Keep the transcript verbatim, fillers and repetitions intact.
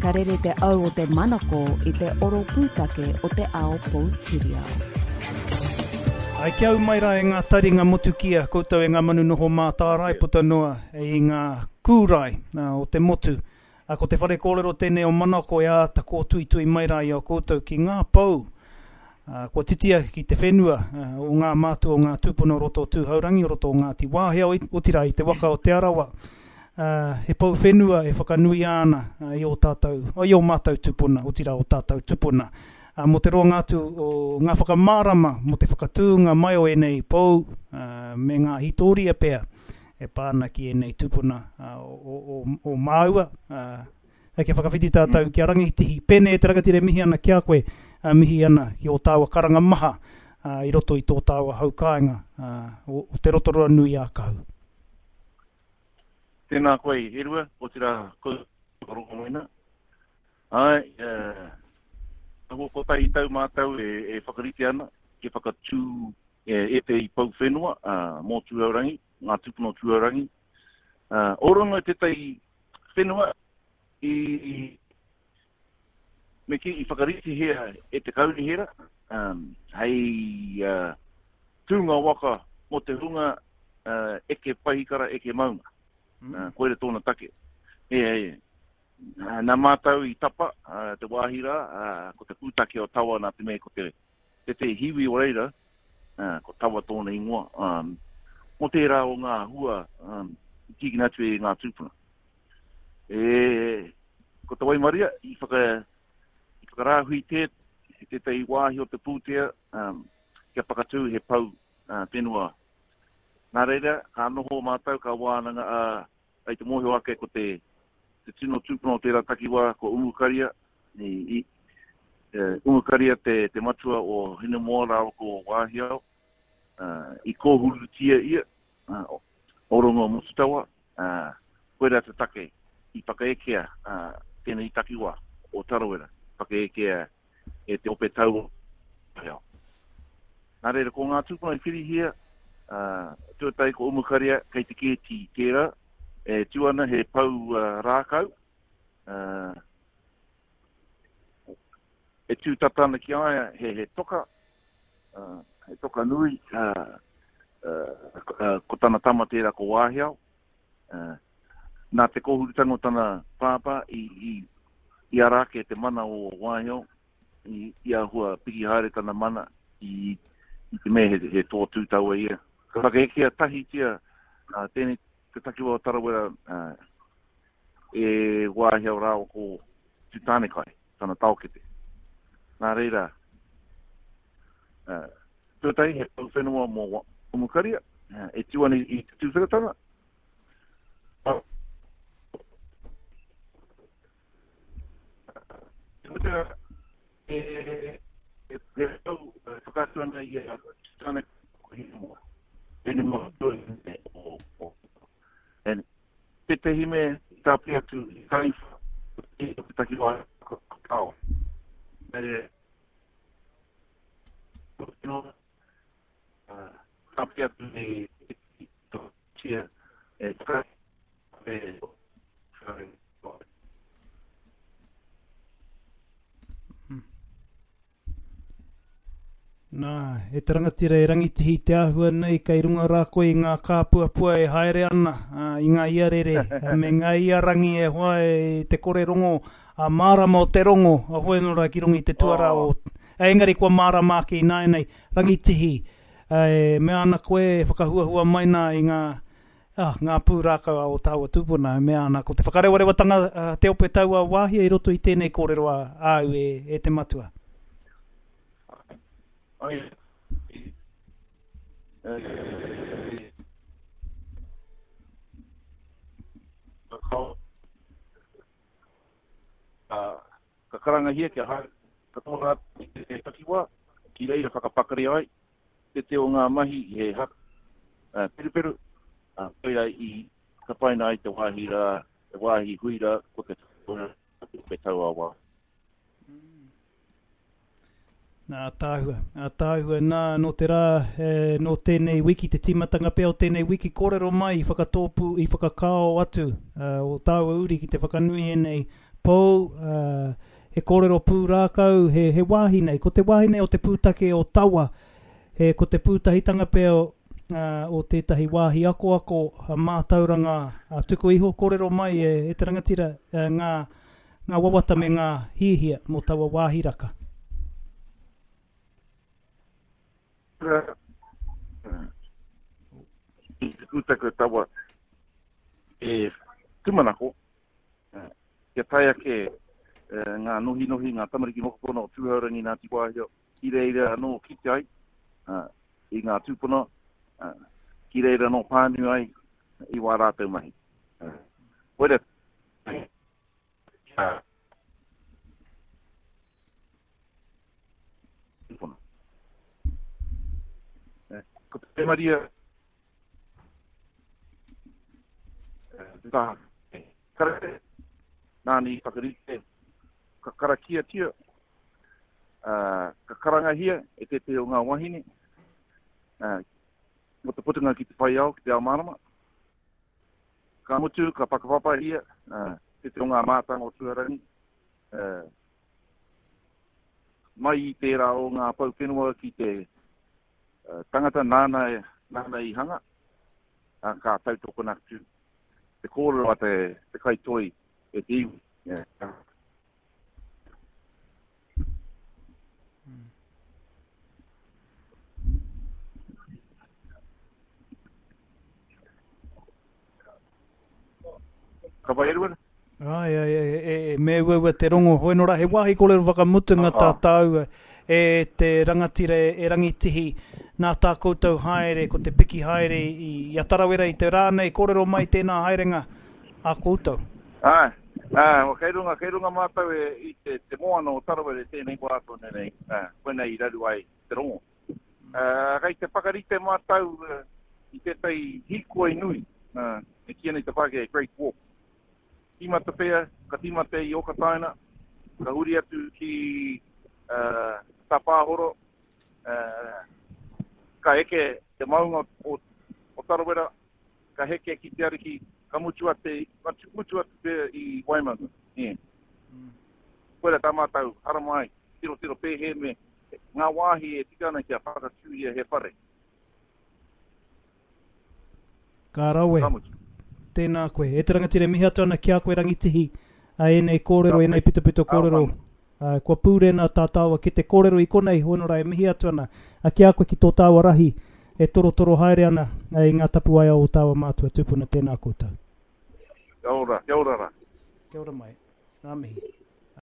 Ka rere te au o te manako i te oro pūtake o te ao poutiriao. Ai kia au mai rā e ngā taringa motukia, koutou e ngā manu noho mātārae puta noa i ngā kūrae o te motu. A, ko te whare kōrero tēnei o Manako e āta kōtuitui mai rā i a koutou ki ngā pou. A, kua titia ki te whenua a, o ngā mātua o ngā tūpuna o roto o Tūhourangi, o roto o Ngāti Wāhia, otirā i te waka o Te Arawa. Uh, he pou whenua e whakanuia ana uh, i o tātou, i o mātou tūpuna, otirā o tātou tūpuna. Uh, mō te roanga atu o ngā whakamārama, mō te whakatūnga mai o ēnei pou, uh, me ngā hītōria pea e pā ana ki ēnei tūpuna uh, o, o, o māua. Uh, kia whakawhiti tātou mm. ki a Rangitihi. Pēnei e te rangatira e mihi ana ki a koe, uh, mihi ana ki o tāua karanga maha uh, i roto i tō tāua haukāinga uh, o, o te Rotorua nui a Kahu. Tēnā koe, Erua, otirā koutou rongomoena. Ai, uh, aho kotahi tau mātou e, e whakarite ana, kia whakatū e, e te i pou whenua, uh, mō Tūhourangi, ngā tūpuna o Tūhourangi. Uh, Orongo tētahi whenua i, me ki, i whakaritihia e te kaunihera, um, hei uh, tūnga waka mō te hunga uh, eke pahikara, eke maunga. Mm. Uh, koira tōna take. E, e, nā mātou i tapa, uh, te wāhi rā, uh, ko te pūtake o Tawa nā te mea ko te, te te hiwi o reira, uh, ko Tawa tōna ingoa, um, mō tērā o ngā hua um, i tīkina atu e ngā tūpuna. E, ko te waimaria i, whaka, i whakarāhui te, tētahi wāhi o te pūtea um, kia whakatū he pou uh, whenua. Nā reira, ka noho mātou, ka wānanga, uh, ai te mōhio ake ko te, te tino tūpuna o tērā takiwā, ko Umukaria, i, i, uh, Umukaria te, te matua o Hinemoa rāua ko Wāhiao, uh, i kōhurutia ia, uh, Orongo Motutawa, uh, koira te take i whakaekea uh, tēnei takiwā o Tarawera, whakaekea e te ope tau Wāhiao. Nā reira, ko ngā tūpuna i whirihia, uh, tuatahi ko Umukaria kei te kēti tērā, e tū ana he pou uh, rākau, uh, e tū tata ana ki a ia he, he toka, uh, he toka nui, uh, uh, uh, ko tana tama tērā ko Wāhiao. Uh, nā te kōhurutanga o tana pāpā i, i, i ara ake te mana o Wāhiao, i, i āhua piki haere tana mana i, i te mea he, he toa tūtaua ia. Ka whakaekea tahitia uh, tēnei te takiwā o Tarawera uh, e Wāhiao rāua ko Tūtānekai, tana taokete. Nā reira, uh, tuatahi he pou whenua mō Umukaria, uh, e tū ana i te tūwheratanga. E, e, e pou whakaatu ana i a Tūtānekai ko Hinemoa. Hinemoa tuahine o, o. En, tētehi me i tāpiri atu i taniwha, i te takiwā ko Tao. Me, tāpiri atu i tia e e Nā, e te rangatira e Rangitihi te āhua nei kei runga rā koe i ngā kāpuapua e haere ana, uh, i ngā iarere, me ngā iarangi e hoa e te kore rongo, a mārama o te rongo, a hoi anō rā ki runga i te tuarā o... E, engari kua mārama ake i nāianei, Rangitihi, e mea ana koe e whakahuahua mai nā i ngā, ah, ngā pūrākau a o tāua tūpuna, e mea ana ko te whakarewarewatanga uh, te ope taua wāhia i roto i tēnei kōrero a, āu e, e te matua. Ai, ka karangahia kia haere katoa rātou i te takiwā, ki reira whakapakari ai te te o ngā mahi he haka uh, peruperu, uh, koira i tapaina ai te wāhi rā, te wāhi hui rā, ko te te taua wā. Nā tāhua, nā tāhua, nā nō te rā, e, nō tēnei wiki, te tīmatanga pea o tēnei wiki, kōrero mai i whakatōpū, i whakakao atu uh, o tāua uri ki te whakanui ēnei pou, uh, he kōrero pūrākau, he, he wāhi nei. Ko te wāhi nei o te pūtake o Tawa, he, ko te pūtahitanga pea o, uh, o tētahi wāhi akoako mātauranga uh, tuku iho kōrero mai e, e te rangatira uh, ngā, ngā wawata me ngā hihia mō taua wāhi raka. I te pūtake o Tawa e tūmanako, kia tae ake ngā nohinohi, ngā tamariki mokopuna o Tūhourangi Ngāti Wāhio, ki reira anō kite ai i ngā tūpuna, ki reira anō pānu ai i wā rātou mahi. Koira, ko te Maria tā karate, nāni whakarite, ka karakiatia, uh, ka karangahia e tētehi o ngā wahine, uh, mo te putunga ki te whai ao, ki te ao mārama. Ka mutu, ka whakapapahia, uh, tētehi o ngā mātanga o Tūhourangi, uh, mai i tērā o ngā pou whenua ki te uh, tangata nāna, nāna i hanga, uh, ka tautokona atu te kōrero a te, te kaitoi e te iwi. Yeah. Ka pai, Edward? Ai, ai, ai, e, e, me uaua te rongo. Hoi nora, he wāhi kōrero whakamutunga tā tāua e te rangatira e Rangitihi nā tā koutou haere, ko te piki haere i, i a Tarawera i te rā nei, kōrero mai tēnā haerenga a koutou. Ai, ai, o kei runga, kei runga mātou e, i te, te moana o Tarawera tēnei wā tōne nei, koinei i raru ai te rongo. Uh, kei te whakarite mātou uh, i tētahi hīkoi nui, uh, e kīia nei te Pākehā Great Walk. Tīmata pea, ka tīmata i Okataina, ka huri atu ki uh, Tapāhoro, uh, ka eke te maunga o, o Tarawera, ka heke ki te ariki, ka mutu ate, mutu atu pea i Waimanga. Yeah. Mm. Koira tā mātou, haramai, tiro tiro pēhē me ngā wāhi e tika ana kia whakatūria he whare. Ka rawe. Ka mutu. Tēnā koe. E te rangatira, mihi atu ana ki a koe Rangitihi, a ēnei kōrero, ēnei pitopito kōrero. Uh, kua pūrena tā tāua ki te kōrero i konei, hoenora e mihi atu ana. A ki a koe ki tō tāua rahi, e torotoro haere ana i ngā tapuaia o tāua mātua tūpuna, tēnā koutou. Kia ora, kia ora rā. Kia ora mai. Ngā mihi.